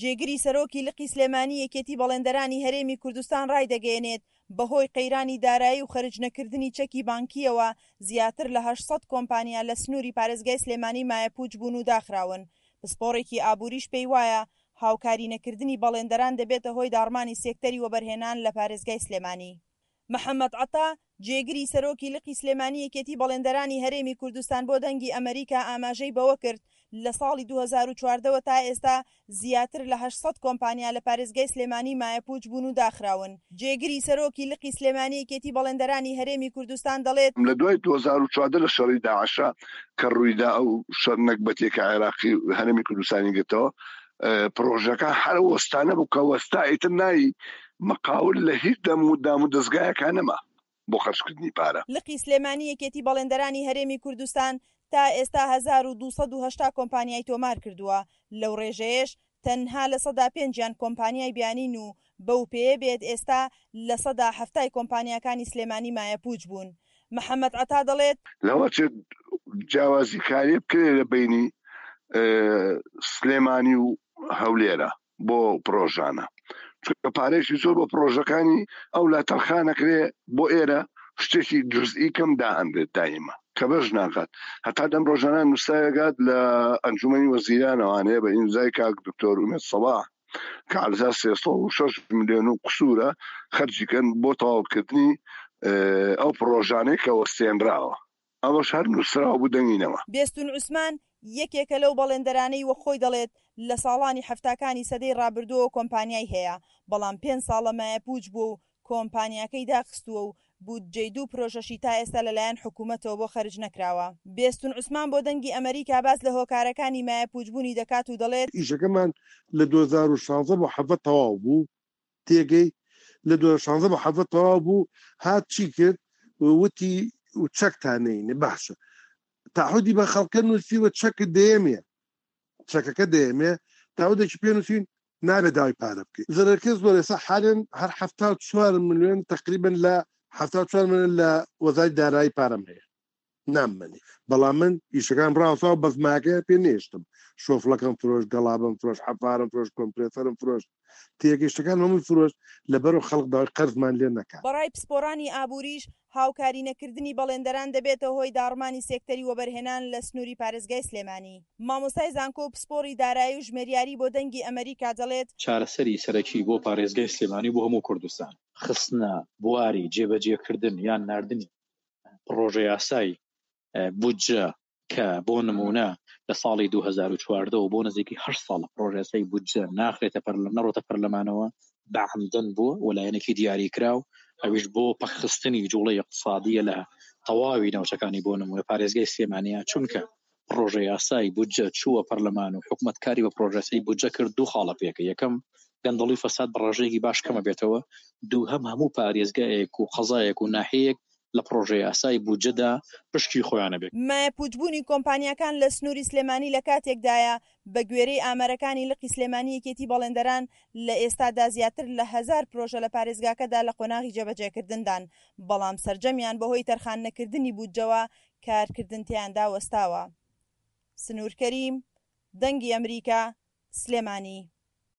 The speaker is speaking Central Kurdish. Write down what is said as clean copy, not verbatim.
جێگری سەرۆکی لقی سلێمانی یەکێتی بەڵێندەرانی هەرێمی کوردستان ڕایدەگەیەنێت، بەهۆی قەیرانی دارایی و خەرجنەکردنی چەکی بانکییەوە زیاتر لە 800 کۆمپانیا لە سنووری پارێزگای سلێمانی مایەپووچ بوون و داخراون. پسپۆڕێکی ئابووریش پێیوایە، هاوکاری نەکردنی بەڵێندەران دەبێتە هۆی داڕمانی سێکتەری وەبەرهێنان لە پارێزگای سلێمانی. محەمەد عەتا، جێگری سەرۆکی لقی سلێمانی یەکێتی بەڵێندەرانی هەرێمی کوردستان بۆ دەنگی ئەمەریکا ئاماژەی بەوەکرد، لە ساڵی 2014 وە تا ئێستا زیاتر لە 800 کۆمپانیا لە پارێزگای سلێمانی مایەپووچ بوون و داخراون. جێگری سەرۆکی لقی سلێمانی یەکێتی بەڵێندەرانی هەرێمی کوردستان دەڵێت، لە دوای 2014 لە شەڕی داعشە کە ڕوویدا ئەو شەڕ نەگبەتیە کە عێراقی هەرێمی کوردستانی گرتەوە پڕۆژەکە هەر وەستانە بوو کە وەستا ئیتر نای مقاول لە هیچ دەم و دام و دەزگایەکا نەما بۆ خەرجکردنی پارە. لقی سلێمانی یەکێتی بەڵێندەرانی هەرێمی کوردستان تا ئێستا 1280 کۆمپانیای تۆمار کردووە، لەو ڕێژەیەش تەنها لەسەدا پێنجیان کۆمپانیای بیانین و بەو پێیە بێت ئێستا لەسەدا حەفتای کۆمپانیاکانی سلێمانی مایەپووچ بوون. محەمەد عەتا دەڵێت. لەوەچێت جیاوازی کاری بکرێت لە بەینی سلێمانی و هەولێرە بۆ پرۆژانە چونکە پارەیەکی زۆر بۆ پرۆژەکانی ئەو لا تەرخانەکرێ بۆ ئێرە شتێکی جزئی کەم دائەنرێت دایمە کە بەش ناکات هەتا دەم ڕۆژانە نووسراوێکات لە ئەنجومەنی وەزیرانەوانەیە بە ئیمزای کاک دکتۆر ئومێد سەباح کە عەرزا 306 ملیۆن و قسوورە خەرجی کەن بۆ تەواوکردنی ئەو پڕۆژانەی کە وەستێنراوە ئەوەش هەر نووسراو بوو دەنگی نەما. بێستوون عوسمان، یەکێکە لەو بەڵێندەرانەی وەک خۆی دەڵێت، لە ساڵانی حەفتاکانی سەدەی ڕابردووەوە کۆمپانیای هەیە، بەڵام پێنج ساڵە مایەپووچ بووە و کۆمپانیاکەی داخستووە و بودجەی دوو پرۆژەشی تا ئێستا لەلایەن حکومەتەوە بۆ خەرج نەکراوە. بێستون عوسمان بۆ دەنگی ئەمەریکا باس لە هۆکارەکانی مایەپووچبوونی دەکات و دەڵێت. ئیشەکەمان لە 2016 بۆ 17 تەواو بوو، تێگەی لە 2016 بۆ 17 تەواو بوو، هات چی کرد وتی چەکتان نەینێ، باشە تەعهودی بە خەڵکە نووسیوە چەکت دەیەمێ، چەکەکە دەیەمێ، تاودێکی پێ نووسین نابێت داوای پارە بکەیت زەرەرکە زۆر ئێستا حالێن هەر 74 ملیۆن تقریبا لە 74 ملیۆن لە وەزاری دارایی پارەم هەیە ناممەنی بەڵام من ئیشەکان ڕاوسا و بەزماکە پێ نێشتم شۆفڵەکەم فرۆش گەڵابم فرۆش حەفارم فرۆش کۆمپرێسەرم فرۆش تێگەیشتەکان هەمووی فرۆشت لەبەرو خەڵک داوای قەرزمان لێ نەکات. بەڕای پسپۆڕانی ئابووریش، هاوکاری نەکردنی بەڵێندەران دەبێتە هۆی داڕمانی سێکتەری وەبەرهێنان لە سنووری پارێزگای سلێمانی. مامۆستای زانکۆ و پسپۆڕی دارایی و ژمێریاری بۆ دەنگی ئەمەریکا دەڵێت، چارەسەری سەرەکی بۆ پارێزگای سلێمانی و بۆ هەموو کوردستان، خستنە بواری جێبەجێکردن یان ناردنی پڕۆژەیاسای بودجە کە بۆ نموونە لە ساڵی 2014 وە بۆ نزیکەی هەشت ساڵە پڕۆژەیاسای بودجە ناخرێتە پەرلەمان نەڕۆتە پەرلەمانەوە بە عەمدەن بووە و لایەنێکی دیاریکراو ئەویش بۆ پەکخستنی جوڵەی ئیقتسادیە لە تەواوی ناوچەکانی بۆ نموونە پارێزگای سلێمانیە چونکە پڕۆژەیاسای بودجە چووە پەرلەمان و حکومەت کاری بە پڕۆژەیاسای بودجە کرد دوو خاڵە پێکە یەکەم گەندەڵی و فەساد بە ڕێژەیەکی باش کەمە بێتەوە دووهەم هەموو پارێزگایەک و قەزایەک و ناحیەیەک لە پڕۆژەیاسای بودجەدا پشکی خۆیان هەبێت. مایەپووچبوونی کۆمپانیاکان لە سنووری سلێمانی لە کاتێکدایە، بەگوێرەی ئامارەکانی لقی سلێمانی یەکێتی بەڵێندەران، لە ئێستادا زیاتر لە هەزار پرۆژە لە پارێزگاکەدا لە قۆناغی جێبەجێکردندان، بەڵام سەرجەمیان بەهۆی تەرخاننەکردنی بودجەوە کارکردن تێیاندا وەستاوە. سنوور کەریم، دەنگی ئەمریکا، سلێمانی.